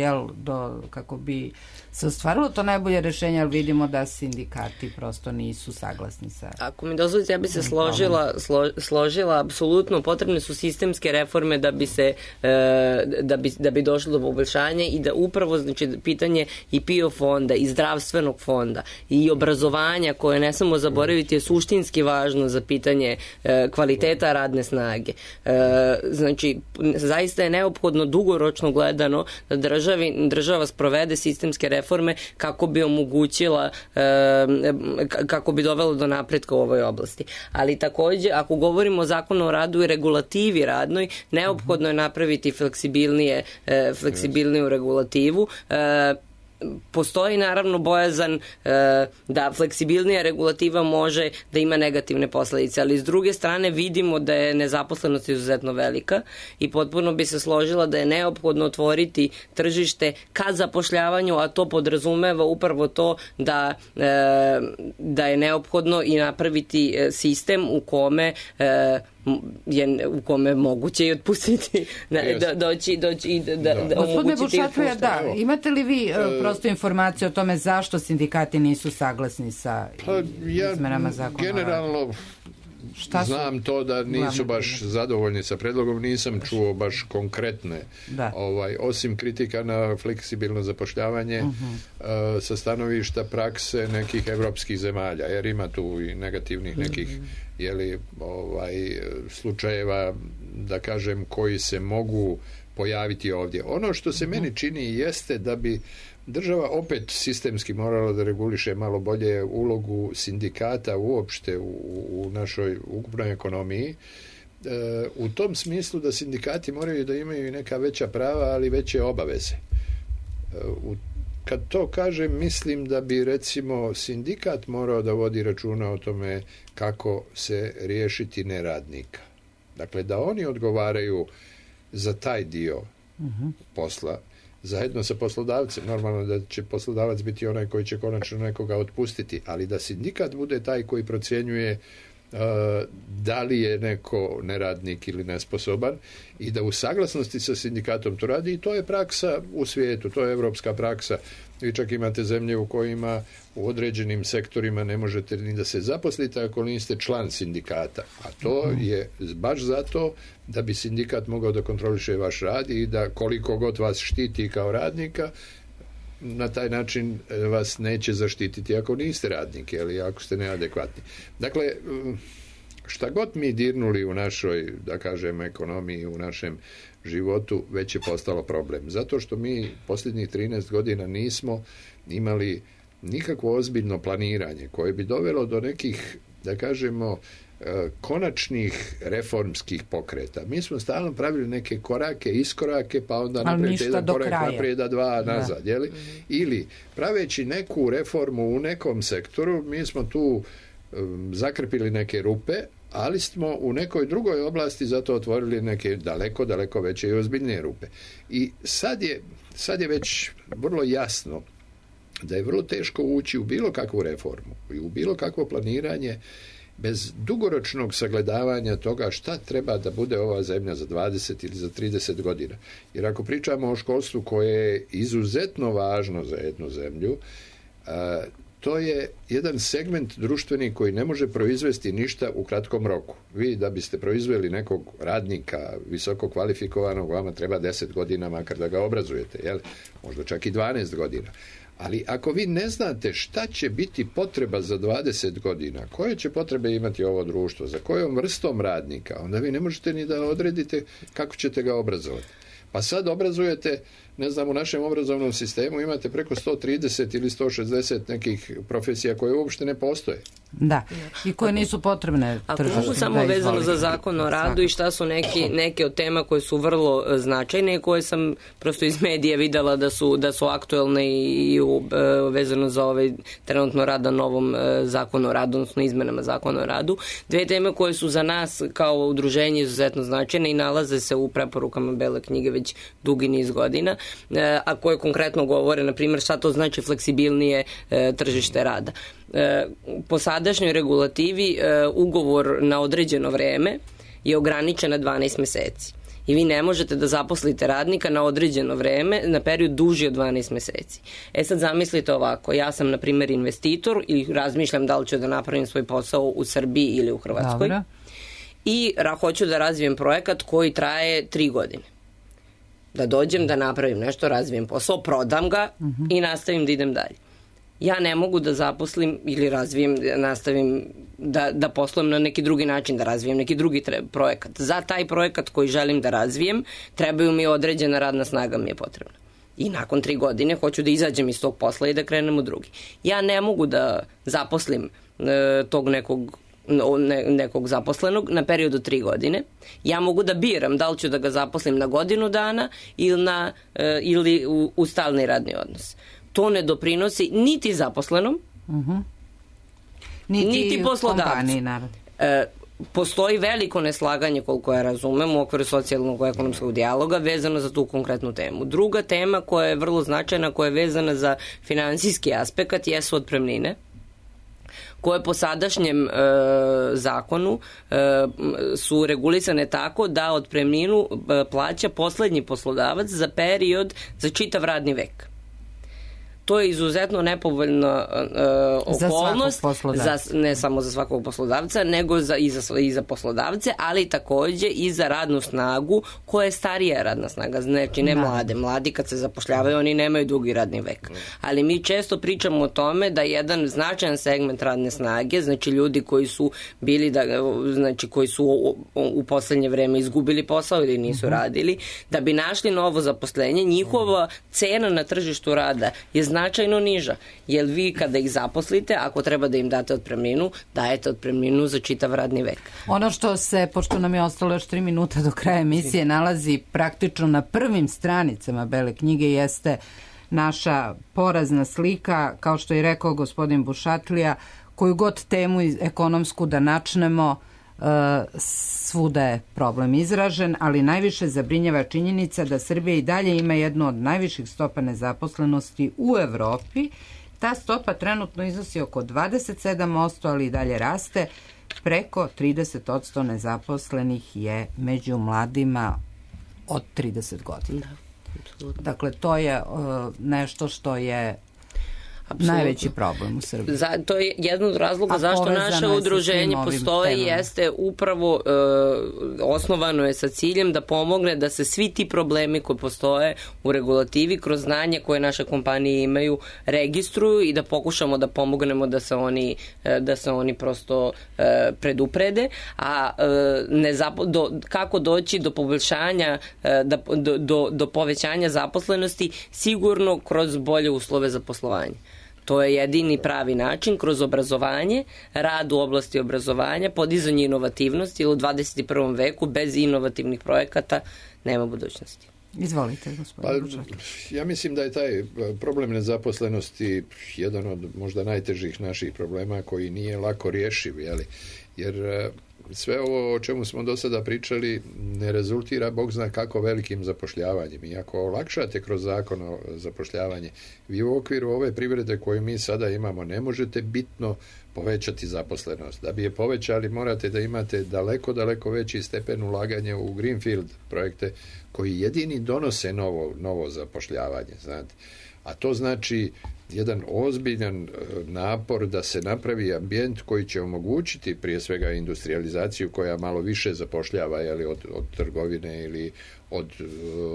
kako bi se ostvarilo to najbolje rešenje, ali vidimo da sindikati prosto nisu saglasni sa... Ako mi dozvolite, ja bi se složila, apsolutno potrebne su sistemske reforme da bi došlo do poboljšanja i da upravo, znači, pitanje i PIO fonda i zdravstvenog fonda i obrazovanja, koje ne samo zaboraviti je suštinski važno za pitanje kvaliteta radne snage. Znači, zaista je neophodno dugoročno gledano da država sprovede sistemske reforme kako bi omogućila, kako bi dovelo do napretka u ovoj oblasti. Ali takođe, ako govorimo o zakonu o radu i regulativi radnoj, neophodno je napraviti fleksibilniju regulativu. Postoji naravno bojazan da fleksibilnija regulativa može da ima negativne posledice, ali s druge strane vidimo da je nezaposlenost izuzetno velika i potpuno bi se složila da je neophodno otvoriti tržište ka zapošljavanju, a to podrazumeva upravo to da je neophodno i napraviti sistem u kome moguće i otpustiti doći i da omogućiti otpuštanje. Imate li vi prosto informaciju o tome zašto sindikati nisu saglasni sa izmenama zakona? Generalno znam to da nisu baš zadovoljni sa predlogom, nisam čuo baš konkretne, osim kritika na fleksibilno zapošljavanje sa stanovišta prakse nekih evropskih zemalja, jer ima tu i negativnih nekih slučajeva, da kažem, koji se mogu pojaviti ovdje. Ono što se meni čini jeste da bi država opet sistemski morala da reguliše malo bolje ulogu sindikata uopšte u našoj ukupnoj ekonomiji, u tom smislu da sindikati moraju da imaju neka veća prava, ali veće obaveze. Kad to kažem, mislim da bi recimo sindikat morao da vodi računa o tome kako se riješiti neradnika. Dakle, da oni odgovaraju za taj dio posla, zajedno sa poslodavcem. Normalno da će poslodavac biti onaj koji će konačno nekoga otpustiti, ali da sindikat bude taj koji procjenjuje da li je neko neradnik ili nesposoban i da u saglasnosti sa sindikatom to radi, i to je praksa u svijetu, to je evropska praksa. Vi čak imate zemlje u kojima u određenim sektorima ne možete ni da se zaposlite ako niste član sindikata, a to je baš zato da bi sindikat mogao da kontroliše vaš rad i da koliko god vas štiti kao radnika, na taj način vas neće zaštititi ako niste radnik ili ako ste neadekvatni. Dakle, šta god mi dirnuli u našoj, da kažem, ekonomiji, u našem životu, već je postalo problem. Zato što mi posljednjih 13 godina nismo imali nikakvo ozbiljno planiranje koje bi dovelo do nekih, da kažemo, konačnih reformskih pokreta. Mi smo stalno pravili neke korake, iskorake, pa onda naprijed jedan korak naprijed, a dva nazad. Jeli? Ili praveći neku reformu u nekom sektoru, mi smo tu zakrpili neke rupe, ali smo u nekoj drugoj oblasti zato otvorili neke daleko veće i ozbiljnije rupe. I sad je već vrlo jasno da je vrlo teško ući u bilo kakvu reformu i u bilo kakvo planiranje bez dugoročnog sagledavanja toga šta treba da bude ova zemlja za 20 ili za 30 godina. Jer ako pričamo o školstvu koje je izuzetno važno za jednu zemlju, to je jedan segment društveni koji ne može proizvesti ništa u kratkom roku. Vi da biste proizveli nekog radnika visoko kvalifikovanog, vama treba 10 godina makar da ga obrazujete, jel? Možda čak i 12 godina. Ali ako vi ne znate šta će biti potreba za 20 godina, koje će potrebe imati ovo društvo, za kojom vrstom radnika, onda vi ne možete ni da odredite kako ćete ga obrazovati. Pa sad obrazujete, ne znam, u našem obrazovnom sistemu imate preko 130 ili 160 nekih profesija koje uopšte ne postoje. Da, i koje nisu potrebne tržištu. Ako mogu samo vezano za zakon o radu i šta su neke od tema koje su vrlo značajne i koje sam prosto iz medija videla da su aktuelne i vezano za ovaj trenutno rad na novom zakonu o radu, odnosno izmenama zakona o radu. Dve teme koje su za nas kao udruženje izuzetno značajne i nalaze se u preporukama Bele knjige već dugi niz godina, a koje konkretno govore, na primjer, šta to znači fleksibilnije tržište rada. po sadašnjoj regulativi ugovor na određeno vreme je ograničen na 12 meseci. I vi ne možete da zaposlite radnika na određeno vreme na period duži od 12 meseci. Sad zamislite ovako, ja sam na primjer investitor i razmišljam da li ću da napravim svoj posao u Srbiji ili u Hrvatskoj. Dobro. I hoću da razvijem projekat koji traje 3 godine. Da dođem, da napravim nešto, razvijem posao, prodam ga i nastavim da idem dalje. Ja ne mogu da zaposlim ili razvijem, nastavim da poslujem na neki drugi način, da razvijem neki drugi projekat. Za taj projekat koji želim da razvijem, trebaju mi određena radna snaga mi je potrebna. I nakon 3 godine hoću da izađem iz tog posla i da krenem u drugi. Ja ne mogu da zaposlim tog nekog zaposlenog na period od 3 godine. Ja mogu da biram da li ću da ga zaposlim na godinu dana ili u stalni radni odnos. To ne doprinosi niti zaposlenom, niti poslodavcu. Postoji veliko neslaganje, koliko ja razumem, u okviru socijalnog i ekonomskog dijaloga vezano za tu konkretnu temu. Druga tema koja je vrlo značajna, koja je vezana za finansijski aspekt, jesu otpremnine, koje po sadašnjem zakonu su regulisane tako da otpremninu plaća poslednji poslodavac za period, za čitav radni vek. To je izuzetno nepovoljna okolnost, ne samo za svakog poslodavca, nego i za poslodavce, ali takođe i za radnu snagu koja je starija radna snaga, znači ne mlade. Mladi kad se zapošljavaju, oni nemaju dugi radni vek. Ali mi često pričamo o tome da jedan značajan segment radne snage, znači ljudi koji su bili, znači koji su u poslednje vreme izgubili posao ili nisu radili, da bi našli novo zaposlenje, njihova cena na tržištu rada je značajno niža, jer vi kada ih zaposlite, ako treba da im date otpremninu, dajete otpremninu za čitav radni vek. Ono što se, pošto nam je ostalo još 3 minuta do kraja emisije, nalazi praktično na prvim stranicama Bele knjige, jeste naša porazna slika, kao što je rekao gospodin Bušatlija, koju god temu ekonomsku da načnemo, svuda je problem izražen, ali najviše zabrinjava činjenica da Srbija i dalje ima jednu od najviših stopa nezaposlenosti u Evropi. Ta stopa trenutno iznosi oko 27%, ali i dalje raste. Preko 30% nezaposlenih je među mladima od 30 godina. Dakle, to je nešto što je najveći problem u Srbiji. To je jedan od razloga zašto naše udruženje postoji, jeste upravo osnovano je sa ciljem da pomogne da se svi ti problemi koji postoje u regulativi kroz znanje koje naše kompanije imaju registruju i da pokušamo da pomognemo da se oni prosto preduprede, a kako doći do poboljšanja, do povećanja zaposlenosti, sigurno kroz bolje uslove za poslovanje. To je jedini pravi način, kroz obrazovanje, rad u oblasti obrazovanja, podizanje inovativnosti, jer u 21. veku bez inovativnih projekata nema budućnosti. Izvolite, gospodine. Ja mislim da je taj problem nezaposlenosti jedan od možda najtežih naših problema koji nije lako rješiv, jer sve ovo o čemu smo do sada pričali ne rezultira bog zna kako velikim zapošljavanjem. I ako olakšate kroz zakon o zapošljavanje, vi u okviru ove privrede koju mi sada imamo ne možete bitno povećati zaposlenost. Da bi je povećali morate da imate daleko veći stepen ulaganja u greenfield projekte koji jedini donose novo zapošljavanje. Znate. A to znači jedan ozbiljan napor da se napravi ambijent koji će omogućiti prije svega industrializaciju koja malo više zapošljava od trgovine ili od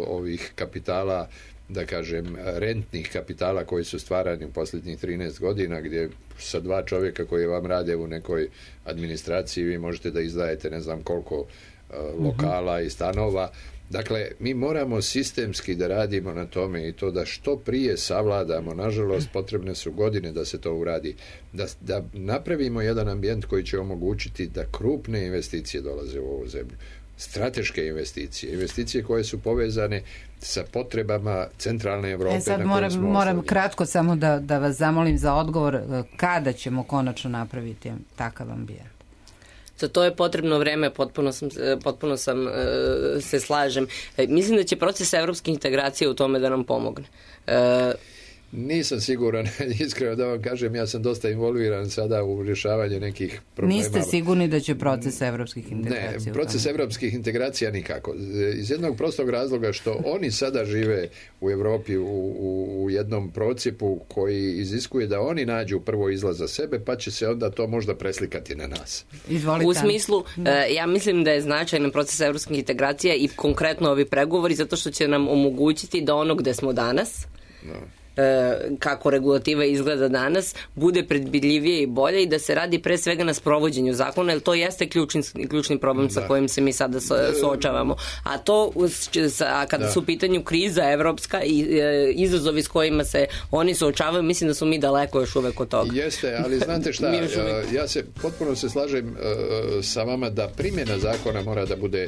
ovih kapitala, da kažem, rentnih kapitala koji su stvarani u posljednjih 13 godina, gdje sa 2 čovjeka koji vam rade u nekoj administraciji vi možete da izdajete ne znam koliko lokala i stanova. Dakle, mi moramo sistemski da radimo na tome i to da što prije savladamo. Nažalost, potrebne su godine da se to uradi. Da napravimo jedan ambijent koji će omogućiti da krupne investicije dolaze u ovu zemlju. Strateške investicije koje su povezane sa potrebama centralne Evrope. Sad moram kratko samo da vas zamolim za odgovor. Kada ćemo konačno napraviti takav ambijent? Za to je potrebno vreme, potpuno sam se slažem. Mislim da će proces evropske integracije u tome da nam pomogne. Nisam siguran, iskreno da vam kažem, ja sam dosta involviran sada u rješavanje nekih problema. Niste sigurni da će proces evropskih integracija? Ne, proces evropskih integracija nikako. Iz jednog prostog razloga što oni sada žive u Evropi u jednom procijepu koji iziskuje da oni nađu prvo izlaz za sebe, pa će se onda to možda preslikati na nas. Izvolite. U smislu, ja mislim da je značajan proces evropskih integracija i konkretno ovi pregovori zato što će nam omogućiti da ono gde smo danas, kako regulativa izgleda danas, bude predvidljivije i bolje i da se radi pre svega na sprovođenju zakona, jer to jeste ključni problem sa kojim se mi sada suočavamo. A to, kada su u pitanju kriza evropska i izazovi s kojima se oni suočavaju, mislim da su mi daleko još uvek od toga. Jeste, ali znate šta, ja se potpuno se slažem sa vama da primjena zakona mora da bude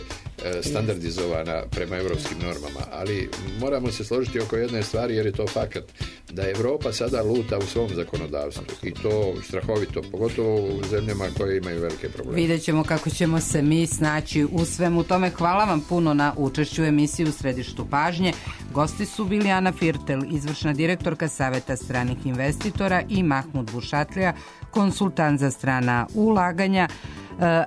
standardizovana prema evropskim normama, ali moramo se složiti oko jedne stvari, jer je to fakat, da Evropa sada luta u svom zakonodavstvu i to strahovito, pogotovo u zemljama koje imaju velike probleme. Vidjet ćemo kako ćemo se mi snaći u svemu tome. Hvala vam puno na učešću u emisiji U središtu pažnje. Gosti su bili Ana Firtel, izvršna direktorka Saveta stranih investitora, i Mahmud Bušatlija, konsultant za strana ulaganja,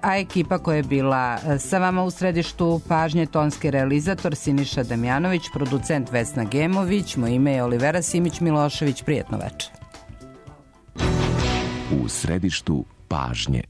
a ekipa koja je bila sa vama u središtu pažnje, tonski realizator Siniša Damjanović, producent Vesna Gemović, moje ime je Olivera Simić-Milošević. Prijetno večer. U središtu pažnje.